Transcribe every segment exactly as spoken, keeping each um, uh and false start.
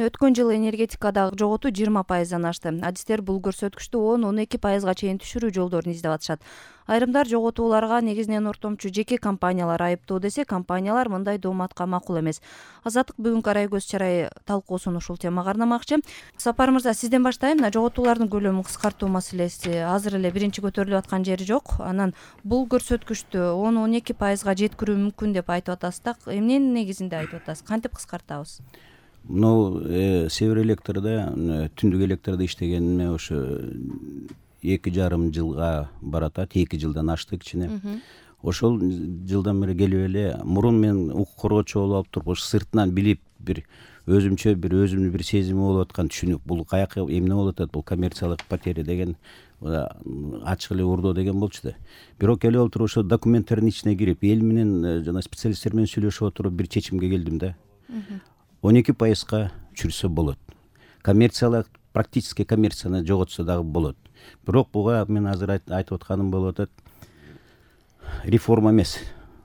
өткөн жылы энергетикадагы жоготуу жыйырма пайыздан ашты. Адистер бул көрсөткүчтү он он эки пайызга чейин түшүрүү жолдорун издеп атышат. Айрымдар жоготууларга негизинен ортомчу жеке компаниялар айыптоо десе, компаниялар мындай дооматка макул эмес. Азаттык бүгүнкү арай көз чарай талкуусун ушул темага арнамакчы. Сапар мырза, сизден баштайм. Жоготуулардын көлөмүн кыскартуу маселеси азыр эле биринчи көтөрүлүп аткан жери жок. Анан бул көрсөткүчтү он он эки пайызга жеткирүү мүмкүн деп айтып атасыз да, эмненин негизинде айтып атасыз? Кантип кыскартабыз? Мынау Север Электрда, түндүк электрде иштегениме ошо эки жарым жылга баратат, эки жылдан ашты кичине. Ошол жылдан бери келип эле мурун мен укук коргоочу болуп алып туруп, ошо сыртынан билип бир өзүмчө бир өзүмдүн бир сезими болуп аткан түшүнүк, бул каяка эмне болуп атат, бул коммерциялык потеря деген ачык эле урдоо деген болчу да. Бирок келип отуруп ошо документтердин ичине кирип, эл менен жана специалисттер менен сүйлөшүп отуруп бир чечимге келдим да. он эки пайызга түшүрсө болот. Коммерциялык, практически коммерцияны жоготсо дагы болот. Бирок буга мен азыр айтып атканым болуп атат. Реформа эмес,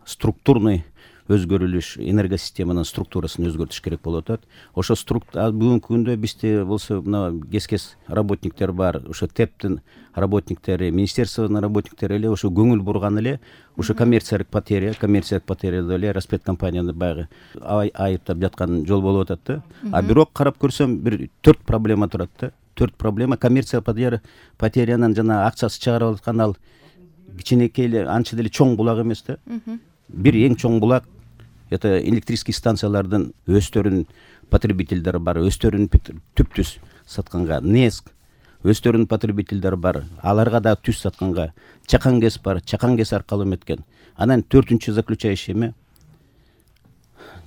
структурный өзгөрүлүш, энергосистеманын структурасын өзгөртүш керек болуп атат. Ошо бүгүнкү күндө бизде болсо мына кескес работниктер бар, ошо ТЭПтин работниктери, министерствонун работниктери эле ошо көңүл бурган эле ошо коммерциялык потеря, коммерциялык потеряда эле распредкомпанияны баягы айыптап жаткан жол болуп атат да. А бирок карап көрсөм бир төрт проблема турат да. Төрт проблема коммерциялык потеря, потерянын жана акчасы чыгарып аткан ал кичинекей эле, анча деле чоң булак эмес да. Бир эң чоң булак это электрический станциялардын өздөрүнүн потребительдери бар, өздөрүнүн түп-түз сатканга НЭСК, өздөрүнүн потребительдери бар, аларга да түз сатканга Чакан ГЭС бар, Чакан ГЭС аркылуу эметкен. Анан төртүнчү заключающий эме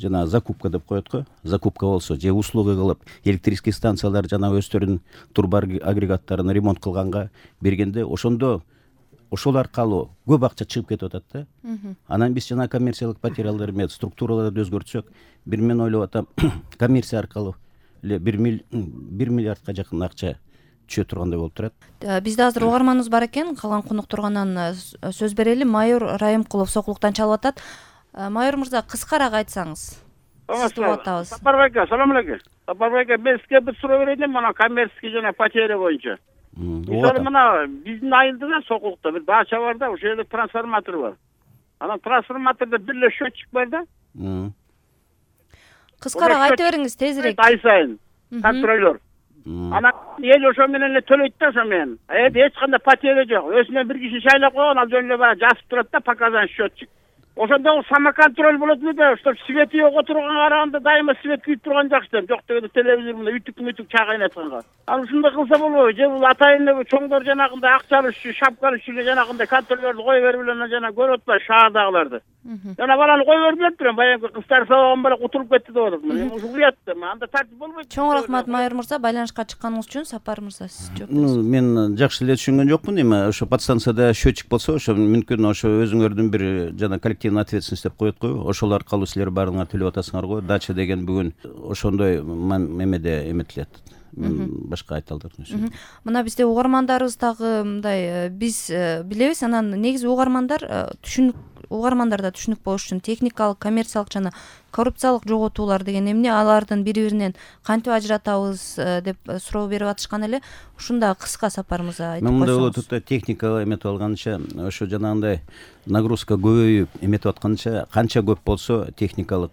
жана закупка деп коет го. Закупка болсо же услуга кылып электрический станциялар жана өздөрүнүн турбу агрегаттарын ремонт кылганга бергенде ошондо ошол аркылуу көп акча чыгып кетип атат да. Анан биз жана коммерциялык потерялар эме структураларды өзгөртсөк, бир мен ойлоп атам, коммерция аркылуу эле бир миллиардка жакын акча түшө тургандай болуп турат. Бизде азыр угарманыбыз бар экен, калган конуктурганан сөз берели. Майор Райымкулов Сокулуктан чалып атат. Майор мырза, кыскараак айтсаңыз. Саламатсызбы? Сапар байка, салам алейкум. Сапар байка, мен сизге бир суроо берейин, мына коммерческий жана потеря боюнча. Мисалы мына биздин айылда Сокулукта бир бача бар да, ошол жерде трансформатор бар. Анан трансформатордо бир эле счетчик бар да. Кыскараак айта бериңиз, тезирээк. Ай сайын контролер. Анан эл ошо менен эле төлөйт да, ошо менен. Эди эч кандай потеря жок. Өзүнөн бир киши шайлап койгон, ал жөн эле баягы жазып турат да, показан счетчик. Ошондо самоконтроль болот эле да, что свети жок отурганга караганда дайыма свет күйүп турган жакшы да. Жок дегенде телевизор мына үтүк-мүтүк чагайнатканга. Ал ушундай кылса болобу? Же бул атайын эле чоңдор жанагындай акчалуу шапкалуу эле жанагындай контролерди кое берип эле жана көрүп атпайбы шаардагыларды. Жана баланы кое берип эле турам, баягы кыздар сабаган бала утуруп кетти деп атат. Мен ушу уят да, анда тартип болбойт. Чоң рахмат майор мырза, байланышка чыкканыңыз үчүн. Сапар мырза, сиз жооп бериңиз. Мен жакшы эле түшүнгөн жокмун, эми ошо подстанцияда счетчик болсо, ошо мүмкүн ошо өзүңөрдүн бир жана коллективный ответственность деп коет го. Ошол аркылуу силер баарыңар төлөп атасыңар го. Дача деген бүгүн ошондой эмеде эметилет. Мен башка айта алдым. Мына бизде угармандарыбыз дагы мындай, биз билебиз, анан негизи угармандар түшүнүк угармандарда түшүнүк болуш үчүн техникалык, коммерциялык жана коррупциялык жоготуулар деген эмне, алардын бири-биринен кантип ажыратабыз деп суроо берип атышкан эле. Ушунда кыска Сапар мырза айтып койсоңуз. Мындай болуп атат, техника эметип алганча, ошо жанагындай нагрузка көбөйүп эметип атканча, канча көп болсо техникалык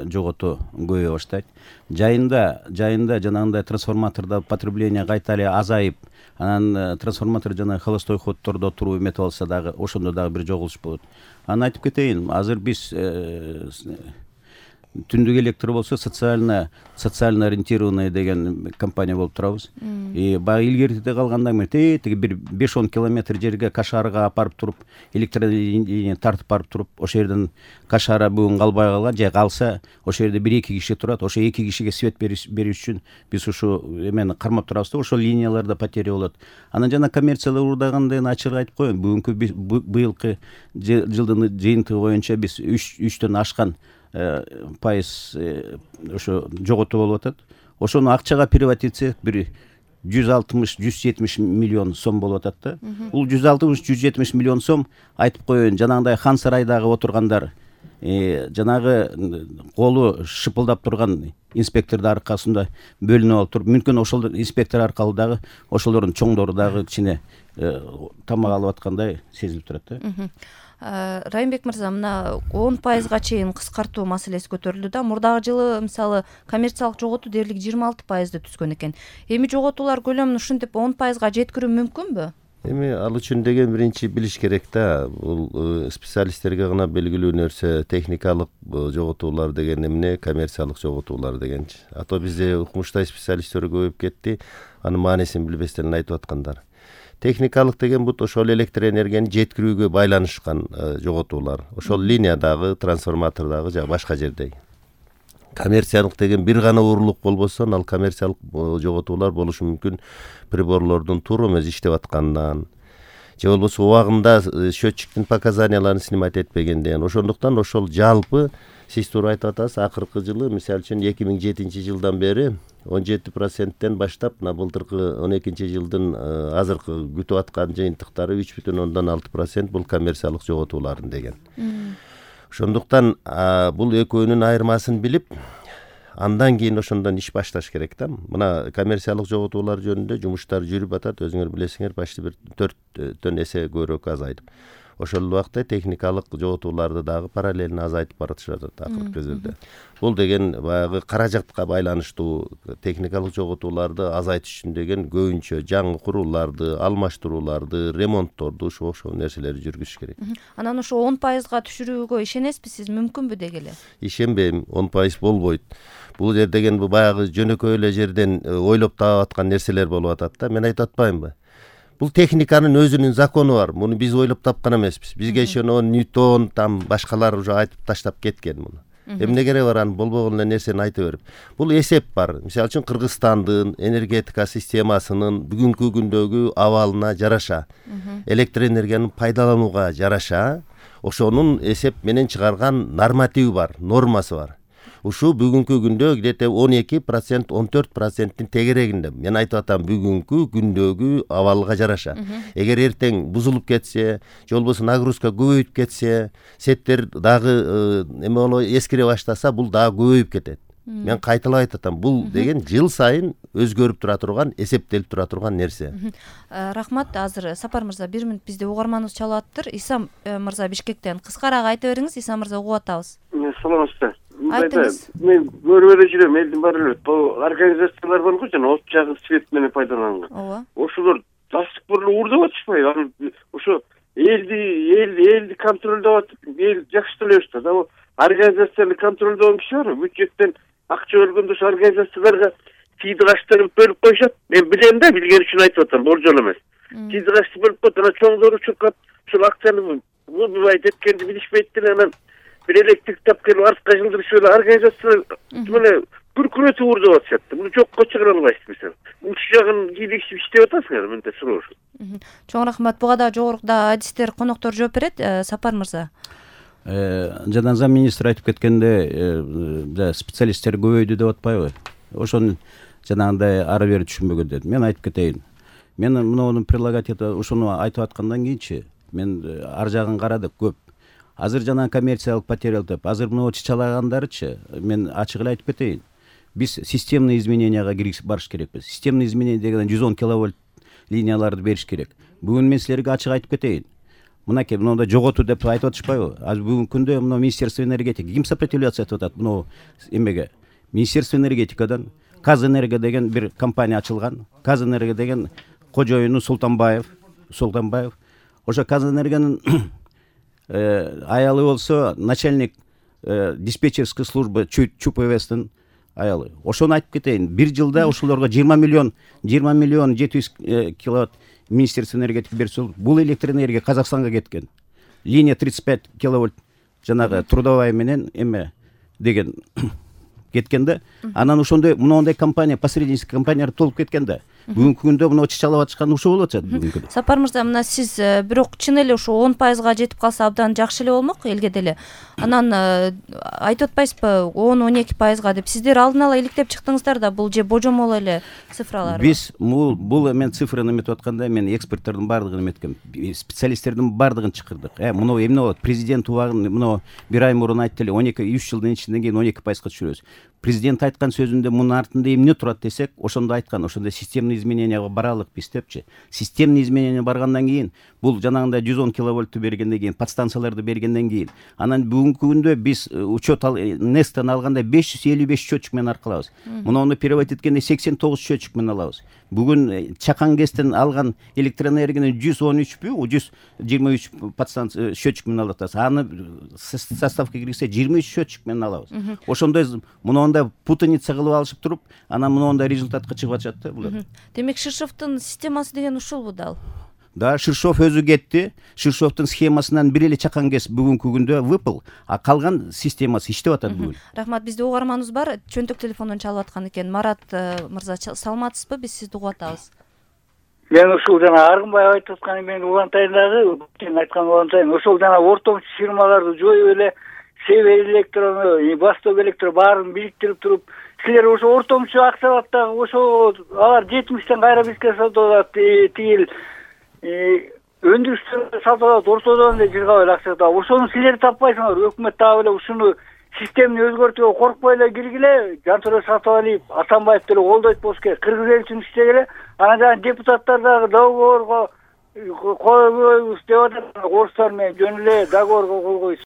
жоготуу көбөйө баштайт. Жайында, жайында жанагындай трансформатордо потребление кайта эле азайып, анан трансформатор жана холостой ходдордо туруп эметип алса дагы ошондо дагы бир жогулуш болот. Анан айтып кетейин, азыр биз түндүк электр болсо социально социально ориентированный деген компания болуп турабыз. И баягы илгертиде калганда тиги бир беш он километр жерге Кашарга апарып туруп, электролиния тартып барып туруп, ошол жерден Кашара бүгүн калбай калган, же калса ошол жерде бир эки киши турат. Ошо эки кишиге свет бериш үчүн биз ушу эмени кармап турабыз да, ошол линияларда потеря болот. Анан жана коммерциялык урдаганда ачык айтып коеюн, бүгүнкү быйылкы жылдын жыйынтыгы боюнча биз үчтөн ашкан пайыз ошо жоготуу болуп атат. Ошону акчага перевод этсек бир жүз алтымыш жүз жетимиш миллион сом болуп атат да. Бул жүз алтымыш жүз жетимиш миллион сом айтып коеюн, жанагындай Хан сарайдагы отургандар жанагы колу шыпылдап турган инспектордун аркасында бөлүнүп алып туруп, мүмкүн ошол инспектор аркылуу дагы ошолордун чоңдору дагы кичине тамак алып аткандай сезилип турат да. Райымбек мырза, мына он пайызга чейин кыскартуу маселеси көтөрүлдү да. Мурдагы жылы мисалы коммерциялык жоготуу дээрлик жыйырма алты пайызды түзгөн экен. Эми жоготуулар көлөмүн ушинтип он пайызга жеткирүү мүмкүнбү? Эми ал үчүн деген биринчи билиш керек да. Бул специалисттерге гана белгилүү нерсе. Техникалык жоготуулар деген эмне, коммерциялык жоготуулар дегенчи. А то бизде укмуштай специалисттер көбөйүп кетти. Анын маанисин билбестен айтып аткандар. Техникалык деген бут ошол электр энергияны жеткирүүгө байланышкан жоготуулар. Ошол линиядагы, трансформатордагы же башка жердеги. Коммерциялык деген бир гана уурулук болбосо, ал коммерциялык жоготуулар болушу мүмкүн приборлордун туура эмес иштеп аткандан, же болбосо убагында счетчиктин показанияларын снимать этпегенден. Ошондуктан ошол жалпы сиз туура айтып атасыз, акыркы жылы, мисалы үчүн эки миң жетинчи жылдан бери он жети проценттен баштап, мына былтыркы он экинчи жылдын азыркы күтүп аткан жыйынтыктары үч бүтүн ондон алты процент бул коммерциялык жоготуулардын деген. Ошондуктан бул экөөнүн айырмасын билип, андан кийин ошондон иш башташ керек да. Мына коммерциялык жоготуулар жөнүндө жумуштар жүрүп атат, өзүңөр билесиңер, почти бир төрттөн эсе көбүрөөк азайып. Ошол убакта техникалык жоготууларды дагы параллельно азайтып баратышат акыркы кезерде. Бул деген баягы каражатка байланыштуу техникалык жоготууларды азайтыш үчүн деген көбүнчө жаңы курулууларды, алмаштырууларды, ремонтторду ошо ошол нерселерди жүргүзүш керек. Анан ошо он пайызга түшүрүүгө ишенесизби сиз, мүмкүнбү деги эле? Ишенбейм, он пайыз болбойт. Бул жер деген баягы жөнөкөй эле жерден ойлоп таап аткан нерселер болуп атат да. Мен айтып атпаймынбы? Бул техниканын өзүнүн закону бар. Муну биз ойлоп тапкан эмеспиз. Бизге ошону Ньютон, там башкалар уже айтып таштап кеткен муну. Эмне кереги бар анын болбогон эле нерсени айта берип. Бул эсеп бар. Мисалы үчүн Кыргызстандын энергетика системасынын бүгүнкү күндөгү абалына жараша, электр энергияны пайдаланууга жараша, ошонун эсеп менен чыгарган нормативи бар, нормасы бар. Ушу бүгүнкү күндө где-то он эки процент, он төрт проценттин тегерегинде. Мен айтып атам, бүгүнкү күндөгү абалга жараша. Эгер эртең бузулуп кетсе, же болбосо нагрузка көбөйүп кетсе, сеттер дагы эме боло эскире баштаса, бул дагы көбөйүп кетет. Мен кайталап айтып атам, бул деген жыл сайын өзгөрүп тура турган, эсептелип тура турган нерсе. Рахмат. Азыр Сапар мырза, бир мүнөт бизде угарманыбыз чалып атыптыр. Иса мырза Бишкектен кыскараак айта бериңиз. Иса мырза, угуп атабыз. Саламатсызбы? Айтыңыз. Мен көрүп эле жүрөм, элдин баары эле бул организациялар бар го, жана от жагы свет менен пайдаланган. Ооба. Ошолор жастык бурлу уурдап атышпайбы? Ошо элди, элди, элди контролдоп атып, эл жакшы төлөйбүз да. Организацияны контролдогон киши бар, бюджеттен акча бөлгөндө ошо организацияларга тийди качтырып бөлүп коюшат. Мен билем да, билген үчүн айтып атам, болжол эмес. Тийди качты бөлүп коет, анан чоңдору чуркап, ушул акчаны бубайт эткенди билишпейт деле, анан бир электрик тап келип артка жылдырышып эле организация мына күркүрөтүп уурдап атышат. Муну жокко чыгара албайсызбы? Ушул жагын кийлигишип иштеп атасыңар, мындай суроо. Чоң рахмат. Буга да жогоруда адистер, коноктор жооп берет. Сапар мырза. Жадан зам министр айтып кеткенде, специалисттер көбөйдү деп атпайбы? Ошону жанагындай ары бери түшүнбөгөндөр. Мен айтып кетейин. Мен мунун прилагативы ошону айтып аткандан кийинчи мен ар жагын карадык көп. Азыр жана коммерциялык потеря деп, азыр мына чычалагандарычы, мен ачык эле айтып кетейин. Биз системный измененияга киришип барыш керекпиз. Системный изменение деген жүз он киловольт линияларды бериш керек. Бүгүн мен силерге ачык айтып кетейин. Мынакей, мындай жоготуу деп айтып атышпайбы? Азыр бүгүнкү күндө мына Министерство энергетики ким сопротивляться этип атат мына эмеге? Министерство энергетикадан Казэнерго деген бир компания ачылган. Казэнерго деген кожоюну Султанбаев, Султанбаев. Ошо Казэнергонун аялы болсо начальник диспетчерской службы ЧУПВСтин аялы. Ошону айтып кетейин. Бир жылда ошолорго жыйырма миллион, жыйырма миллион жети жүз киловатт Министерство энергетики берсе, бул электр энергия Казакстанга кеткен. Линия тридцать пять киловольт жанагы трудовая менен эме деген кеткен да. Анан ошондой моундай компания, посреднический компаниялар толуп кеткен да. Бүгүнкү күндө мына чычалап атышкан ушул болуп атат бүгүнкү күндө. Сапар мырза, мына сиз бирок чын эле ушу он пайызга жетип калса абдан жакшы эле болмок элге деле. Анан айтып атпайсызбы он он эки пайызга деп? Сиздер алдын ала иликтеп чыктыңыздар да, бул же божомол эле цифралар? Биз бул эмен цифраны эметип атканда мен эксперттердин баардыгын эметкем, специалисттердин баардыгын чакырдык. Э, муну эмне болот? Президент убагын муну бир ай мурун айтты эле, он эки үч жылдын ичинен кийин он эки пайызга түшүрөбүз. Президент айткан сөзүндө мунун артында эмне турат десек, ошондо айткан, ошондо системный измененияга баралык биз депчи. Системный изменение баргандан кийин, бул жанагындай жүз он киловольтту бергенден кийин, подстанцияларды бергенден кийин, анан бүгүнкү күндө биз учет Нестан алганда беш жүз элүү беш счетчик менен аркылабыз. Муну переводить эткенде сексен тогуз счетчик менен алабыз. Бүгүн Чакан ГЭСтен алган электроэнергияны жүз он үчпү, жүз жыйырма үч подстанция счетчик менен алып атабыз. Аны составка киргизсе жыйырма үч счетчик менен алабыз. Ошондой мунунда путаница кылып алышып туруп, анан мунунда результатка чыгып атышат да булар. Демек Ширшовдун системасы деген ушулбу дал? Да, Ширшов өзү кетти. Ширшовдун схемасынан бир эле Чакан ГЭС бүгүнкү күндө выпал, а калган системасы иштеп атат бүгүн. Рахмат, бизде угарманыбыз бар. Чөнтөк телефондон чалып аткан экен. Марат мырза, саламатсызбы? Биз сизди угуп атабыз. Мен ушул жана Аргынбаев айтып атканы менен улантайын дагы, сен айткан улантайын. Ошол жана ортомчу фирмаларды жоюп эле Север электрону, Восток электро баарын бириктирип туруп, силер ошо ортомчу аксабаттагы ошо алар жетимиштен кайра бизге сатып тигил өндүрүштөрдө сатып алат, ортодон эле жыргап эле акча да. Ошону силер таппайсыңар. Өкмөт дагы эле ушуну системаны өзгөртүүгө коркпой эле киргиле, жантыры сатып алып, Атамбаев деле колдойт болуш керек. Кыргыз эл үчүн иштегиле. Анан жана депутаттар дагы договорго койбойбуз деп атат. Орустар менен жөн эле договорго кол койсун.